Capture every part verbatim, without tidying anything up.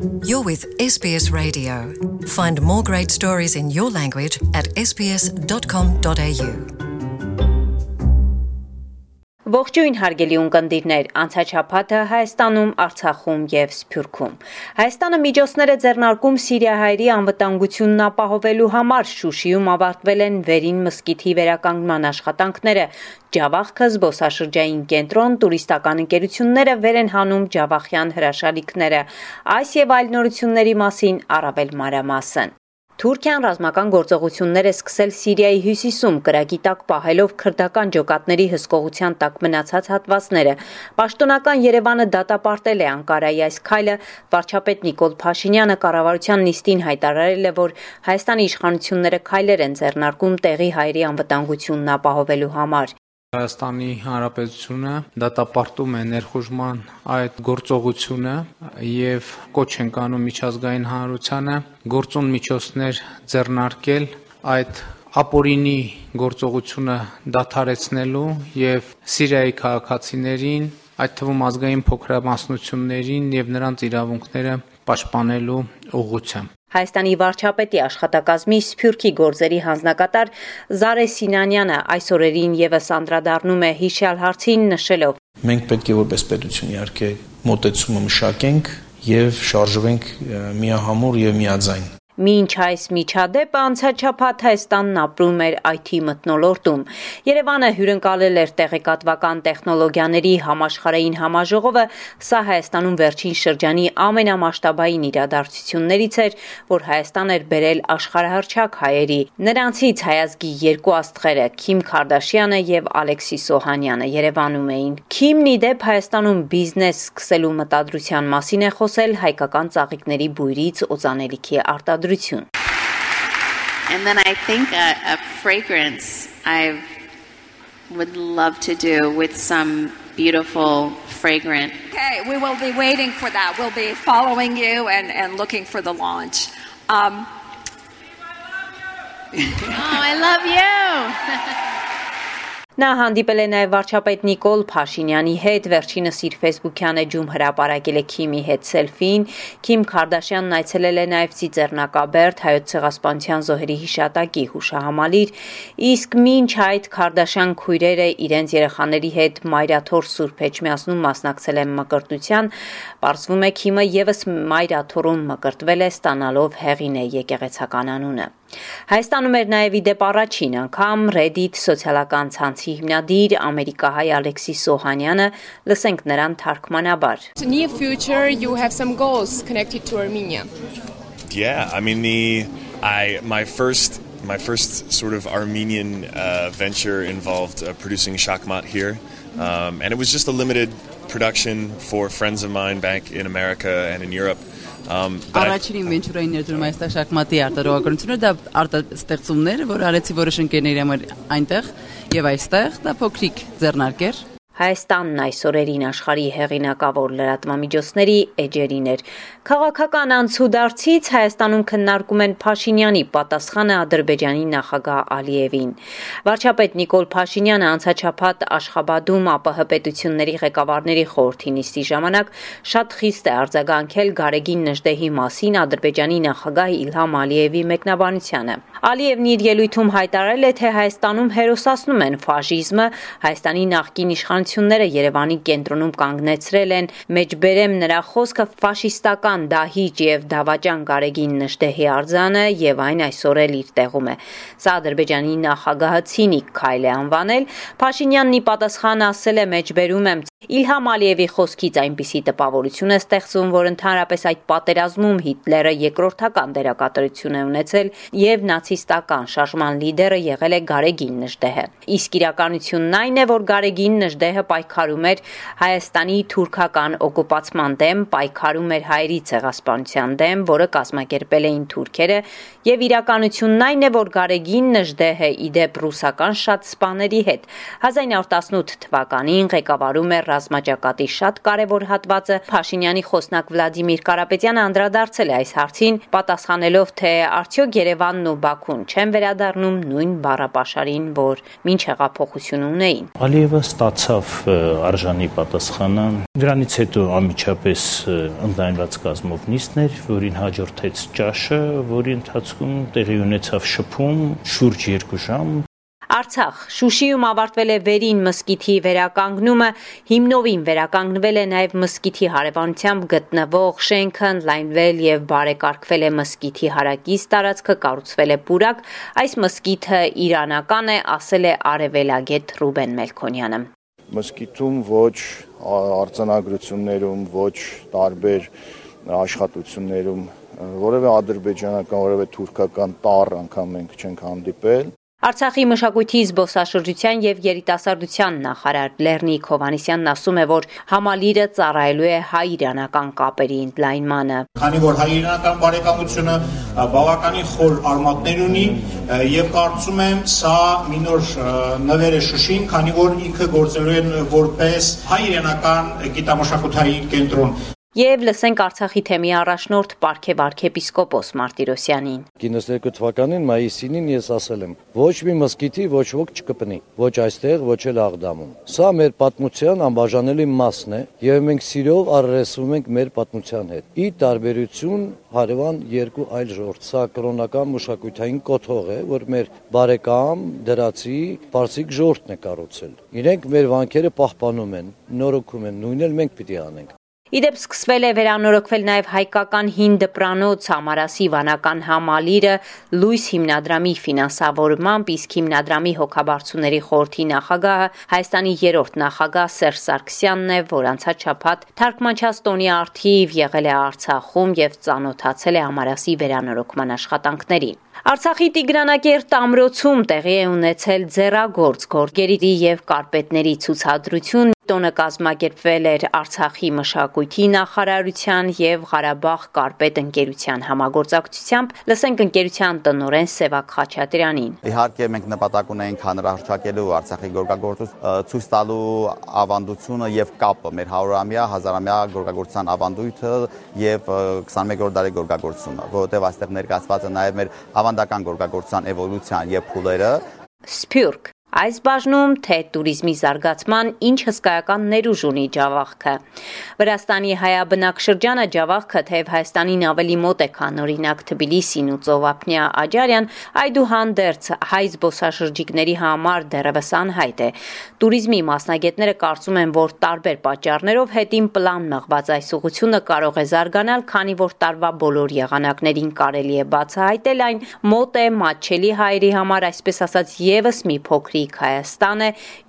You're with S B S Radio. Find more great stories in your language at s b s dot com dot a u. Ողջույն հարգելի ունկնդիրներ, անցաչափաթը Հայաստանում, Արցախում եւ Սփյուռքում։ Հայաստանը միջոցներ է ձեռնարկում Սիրիահայերի անվտանգությունն ապահովելու համար։ Շուշիում ավարտվել են վերին մզկիթի վերականգնման աշխատանքները։ Ջավախքը զբոսաշրջային կենտրոն, տուրիստական ընկերությունները վեր են հանում ջավախյան հրաշալիքները։ Այս եւ այլ նորությունների մասին առավել մանրամասն։ Թուրքիան ռազմական գործողություններ է սկսել Սիրիայի հյուսիսում, կրակի տակ պահելով քրդական ջոկատների հսկողության տակ մնացած հատվածները։ Պաշտոնական Երևանը դատապարտել է Անկարայի այս քայլը։ Վարչապետ Նիկոլ Փաշինյանը կառավարության նիստին հայտարարել է, որ Հայաստանի իշխանությունները քայլեր են ձեռնարկում տեղի հայերի անվտանգությունն ապահովելու համար։ Հայաստանի Հանրապետությունը դատապարտում է ներխուժման այդ գործողությունը եւ կոչ են անում միջազգային հանրությանը գործուն միջոցներ ձեռնարկել այդ ապօրինի գործողությունը դադարեցնելու եւ Սիրիայի քաղաքացիներին, այդ թվում ազգային փոքրամասնություններին եւ նրանց իրավունքները պաշտպանելու ուղղությամբ։ Հայաստանի վարչապետի աշխատակազմի Սփյուռքի գործերի հանձնակատար Զարե Սինանյանը այս օրերին եւս անդրադառնում է հիշյալ հարցին, նշելով. Մենք պետք է որպես պետություն իհարկե մոտեցումը մշակենք եւ շարժվենք միահամուռ եւ միաձայն։ Մինչ այս միջադեպը անցաչափաթ Հայաստանն ապրում էր այ թի մթնոլորտում։ Երևանը հյուրընկալել էր տեղեկատվական տեխնոլոգիաների համաշխարհային համաժողովը, սա Հայաստանում վերջին շրջանի ամենամասշտաբային իրադարձություններից էր, որ Հայաստան էր բերել աշխարհահռչակ հայերի։ Նրանցից հայազգի երկու աստղերը՝ Քիմ Քարդաշյանը եւ Ալեքսիս Օհանյանը Երևանում էին։ Քիմն ի դեպ Հայաստանում բիզնես սկսելու մտադրության մասին է խոսել հայկական ծաղիկների բույրից օծանելիքի արտադրության. And then I think a, a fragrance I would love to do with some beautiful fragrant. Okay, we will be waiting for that. We'll be following you and, and looking for the launch. Um, oh, I love you! Նա հանդիպել է նաև վարչապետ Նիկոլ Փաշինյանի հետ, վերջինս իր ֆեյսբուքյան էջում հրապարակել է Քիմի հետ սելֆին։ Քիմ Քարդաշյանն այցելել է նաև Ծիծեռնակաբերդ հայոց ցեղասպանության զոհերի հիշատակի հուշահամալիր, իսկ մինչ այդ Քարդաշյան քույրերը իրենց երեխաների հետ Մայրաթոր Սուրբ Էջմիածնում մասնակցել են մկրտության, պարզվում է Քիմը եւս Մայրաթորում մկրտվել է, ստանալով Հեղինե եկեղեցական անունը։ Հայաստանում էր նաև ի դեպ առաջին անգամ Reddit սոցիալական ցանցի հիմնադիր ամերիկահայ Ալեքսիս Օհանյանը, լսենք նրան թարգմանաբար. In the near future you have some goals connected to Armenia. Yeah, I mean the I my first my first sort of Armenian uh, venture involved uh, producing shachmat here. Um, and it was just a limited production for friends of mine back in America and in Europe. Առաջին ինվենչուրային ներդրում այստեղ շախմատի արտադրողականությունը դա արտաստեղծումներ, որ արեցի որոշ ընկերների համար այնտեղ եւ այստեղ դա փոքրիկ ձեռնարկեր։ Հայաստանն այս օրերին աշխարհի հեղինակավոր լրատվամիջոցների էջերին էր։ Քաղաքական անցուդարձից Հայաստանում քննարկում են Փաշինյանի պատասխանը Ադրբեջանի նախագահ Ալիևին։ Վարչապետ Նիկոլ Փաշինյանը անցաչափաթ Աշխաբադում ԱՊՀ պետությունների ղեկավարների խորհրդի նիստի ժամանակ շատ խիստ է արձագանքել Գարեգին Նժդեհի մասին Ադրբեջանի նախագահ Իլհամ Ալիևի մեկնաբանությանը։ Ալիևն իր ելույթում հայտարարել է, թե Հայաստանում հերոսացնում են ֆաշիզմը, Հայաստանի նախկին իշխանությունները Երևանի կենտրոնում կանգնեցրել են, մեջբերեմ նրա խոսքը ֆաշիստական դահիճ եւ դավաճան Գարեգին Նժդեհի արձանը եւ այն այսօր էլ իր տեղում է։ Սա Ադրբեջանի նախագահը ցինիկ քայլ է անվանել։ Փաշինյանն ի պատասխան ասել է, մեջբերում եմ Իլհամ Ալիևի խոսքից այնպիսի տպավորություն է ստեղծում, որ ընդհանրապես այդ պատերազմում Հիտլերը երկրորդական դերակատարություն է ունեցել եւ նացիստական շարժման լիդերը եղել է Գարեգին Նժդեհը։ Իսկ իրականությունն այն է, որ Գարեգին Նժդեհը պայքարում էր Հայաստանի թուրքական օկուպացման դեմ, պայքարում էր հայերի ցեղասպանության դեմ, որը կազմակերպել էին թուրքերը, եւ իրականությունն այն է, որ Գարեգին Նժդեհը ի դեպ ռուսական շատ սպաների հետ հազար իննսուն տասնութ թվականին ղեկավարում էր ռազմաճակատի շատ կարևոր հատվածը։ Փաշինյանի խոսնակ Վլադիմիր Կարապետյանը անդրադարձել է այս հարցին, պատասխանելով, թե արդյոք Երևանն ու Բաքուն չեն վերադառնում նույն բառապաշարին, որ մինչ հեղափոխություն ունեին։ Ալիևը ստացավ արժանի պատասխանը։ Դրանից հետո անմիջապես ընդլայնված կազմով նիստներ, որին հաջորդեց ճաշը, որի ընթացքում տեղի ունեցավ շփում շուրջ երկու ժամ։ Արցախ Շուշիում ավարտվել է Վերին մզկիթի վերականգնումը, հիմնովին վերականգնվել է նաև մզկիթի հարևանությամբ գտնվող շենքը, ընդլայնվել եւ բարեկարգվել է մզկիթի հարակից տարածքը, կառուցվել է պուրակ։ Այս մզկիթը իրանական է, ասել է արևելագետ Ռուբեն Մելքոնյանը։ Մզկիթում ոչ արձանագրություններում, ոչ տարբեր աշխատություններում որևէ ադրբեջանական, որևէ թուրքական տառ անգամ մենք չենք հանդիպել։ Արցախի մշակույթի, զբոսաշրջության եւ երիտասարդության նախարար Լեռնիկ Հովհաննիսյանն ասում է, որ համալիրը ծառայելու է հայ-իրանական կապերի ընդլայնմանը։ Քանի որ հայ-իրանական բարեկամությունը բավականին խոր արմատներ ունի եւ կարծում եմ սա մի նոր նվեր է Շուշին, քանի որ ինքը գործելու են որպես հայ-իրանական գիտամշակութային կենտրոն։ Եվ լսենք Արցախի թեմի առաջնորդ Պարքև arczepiskopos Մարտիրոսյանին։ իննսունհինգ թվականին մայիսին ես ասել եմ. ոչ մի մզկիթի ոչ ոք չկպնի, ոչ այստեղ, ոչ էլ Աղդամում։ Սա մեր պատմության անբաժանելի մասն է, եւ մենք սիրով առերեսվում ենք մեր պատմության հետ։ Ի տարբերություն հարևան երկու այլ ժողովուրդ, սա կրոնական մշակութային կոթող է, որ մեր բարեկամ դրացի պարսիկ ժողովուրդն է կառուցել։ Իրենք մեր վանքերը պահպանում են, նորոգում են, նույնն էլ մենք պիտի անենք։ Իդեպ սկսվել է վերանորոգվել նաև հայկական հին դպրանոց Ամարասի վանական համալիրը Լույս հիմնադրամի ֆինանսավորմամբ, իսկ հիմնադրամի հոգաբարձուների խորհրդի նախագահը Հայաստանի երրորդ նախագահ Սերժ Սարգսյանն է, որ անցած շաբաթ թարգմանչած տոնի առթիվ եղել է Արցախում եւ ծանոթացել է Ամարասի վերանորոգման աշխատանքներին։ Արցախի Տիգրանակերտ ամրոցում տեղի է ունեցել ձեռագործ գորգերի եւ կարպետների ցուցադրություն։ Տոնը կազմակերպվել էր Արցախի մշակույթի նախարարության եւ Ղարաբաղ կարպետ ընկերության համագործակցությամբ։ Լսենք ընկերության տնօրեն Սևակ Խաչատրյանին։ Իհարկե մենք նպատակ ունենք հանրահռչակելու Արցախի գորգագործություն ցույց տալու ավանդությունը եւ կապը մեր հարյուրամյա, հազարամյա գորգագործության ավանդույթը եւ քսաներկու դարի գորգագործությունը, որովհետեւ այստեղ ներկայացված է նաեւ մեր ավանդական գորգագործության էվոլյուցիան եւ փուլերը։ Սփյուռք Այս բաժնում թե տուրիզմի զարգացման ինչ հսկայական ներուժ ունի Ջավախքը։ Վրաստանի հայաբնակ շրջանը Ջավախքը թեև Հայաստանին ավելի մոտ է, քան օրինակ Թբիլիսին ու Ծովափնյա Աջարյան, այդուհանդերձ հայ զբոսաշրջիկների համար դեռևս անհայտ է։ Տուրիզմի մասնագետները կարծում են, որ տարբեր պատճառներով հետին պլան մղված այս ուղղությունը կարող է զարգանալ, քանի որ տարվա բոլոր եղանակներին կարելի է բացահայտել այն, մոտ է մատչելի հայերի համար, այսպես ասած, եւս մի փոքր Հայաստան է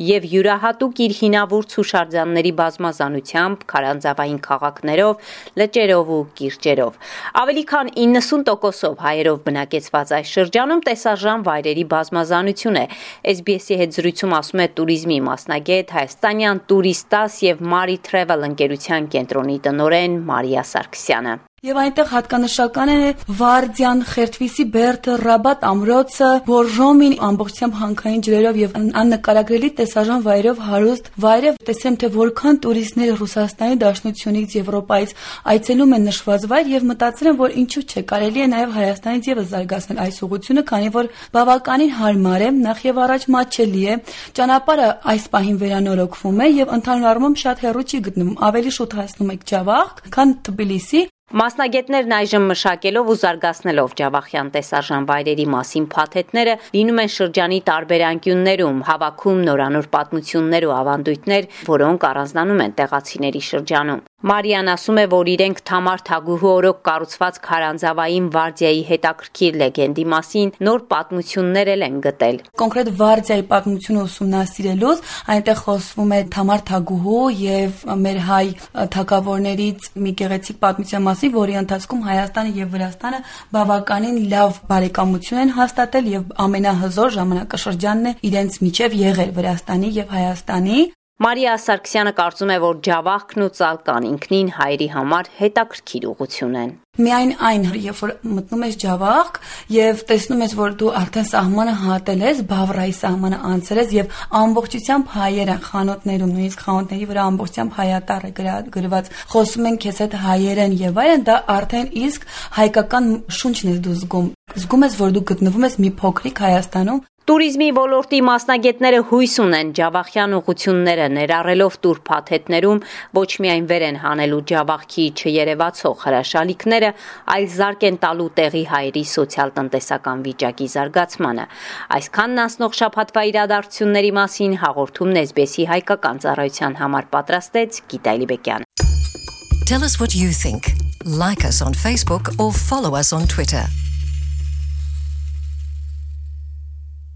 եւ յուրահատուկ իր հինավուրց հուշարձանների բազմազանությամբ, քարանձավային քաղաքներով, լճերով ու կիրճերով։ Ավելի քան իննսուն տոկոսով հայերով բնակեցված այս շրջանում տեսարժան վայրերի բազմազանություն է։ Էս բի էս-ի հետ զրույցում ասում է տուրիզմի մասնագետ, հայաստանյան Տուրիստաս եւ Մարի Թրևել ընկերության կենտրոնի տնօրեն Մարիա Սարգսյանը։ Եվ այնտեղ հատկանշական է Վարդյան, Խերթվիսի, Բերդը, Ռաբատ ամրոցը, Բորժոմին ամբողջությամբ հանքային ջրերով եւ աննկարագրելի տեսարժան վայրով հարուստ վայր է։ Տեսեմ, թե որքան տուրիստներ Ռուսաստանի Դաշնությունից, Եվրոպայից այցելում են նշված վայր եւ մտածել եմ, որ ինչու՞ չէ, կարելի է նաեւ Հայաստանից եւս զարգացնել այս ուղղությունը, քանի որ բավականին հարմար է, նախ եւ առաջ մատչելի է, ճանապարհը այս պահին վերանորոգվում է եւ ընդհանուր առմամբ շատ հեռու չի գտնվում, ավելի շուտ հասնում եք Ջավախ, քան Թբիլիսի։ Մասնագետներն այժմ մշակելով ու զարգացնելով Ջավախյան տեսարժան վայրերի մասին փաթեթները լինում են շրջանի տարբեր անկյուններում, հավաքում նորանոր պատմություններ ու ավանդույթներ, որոնք առանձնանում են տեղացիների շրջանում։ Մարիան ասում է, որ իրենք Թամար Թագուհու օրոք կառուցված քարանձավային վարդիայի հետաքրքիր լեգենդի մասին նոր պատմություններ են գտել։ Կոնկրետ վարդիայի պատմությունը ուսումնասիրելուց այնտեղ խոսվում է Թամար Թագուհու եւ մեր հայ թագավորներից մի գեղեցիկ պատմության մասին, որի ընթացքում Հայաստանը եւ Վրաստանը բավականին լավ բարեկամություն են հաստատել եւ ամենահզոր ժամանակաշրջանն է իրենց միջև եղել Վրաստանի եւ Հայաստանի։ Մարիա Սարգսյանը կարծում է, որ Ջավախքն ու Ծալկան ինքնին հայերի համար հետաքրքիր ուղղություն են։ Միայն այն, երբ որ մտնում ես Ջավախք եւ տեսնում ես, որ դու արդեն սահմանը հատել ես, Բավրայի սահմանը անցել ես եւ ամբողջությամբ հայեր են խանութներում, նույնիսկ խանութների վրա ամբողջությամբ հայատառ է գրված, խոսում են քեզ հետ հայերեն եւ այլն, դա արդեն իսկ հայկական շունչն ես դու զգում։ Զգում ես, որ դու գտնվում ես մի փոքրիկ Հայաստանում։ Տուրիզմի ոլորտի մասնագետները հույս ունեն Ջավախյան ուղղությունները ներառելով տուր փաթեթներում ոչ միայն վեր են հանելու Ջավախքի չերևացող հրաշալիքները, այլ զարկ են տալու տեղի հայերի սոցիալ-տնտեսական վիճակի զարգացմանը։ Այսքանն անցնող շաբաթվա իրադարձությունների մասին հաղորդումն էս բի էս-ի հայկական ծառայության համար պատրաստեց Գիտա Լիբեկյանը։ Tell us what you think. Like us on Facebook or follow us on Twitter.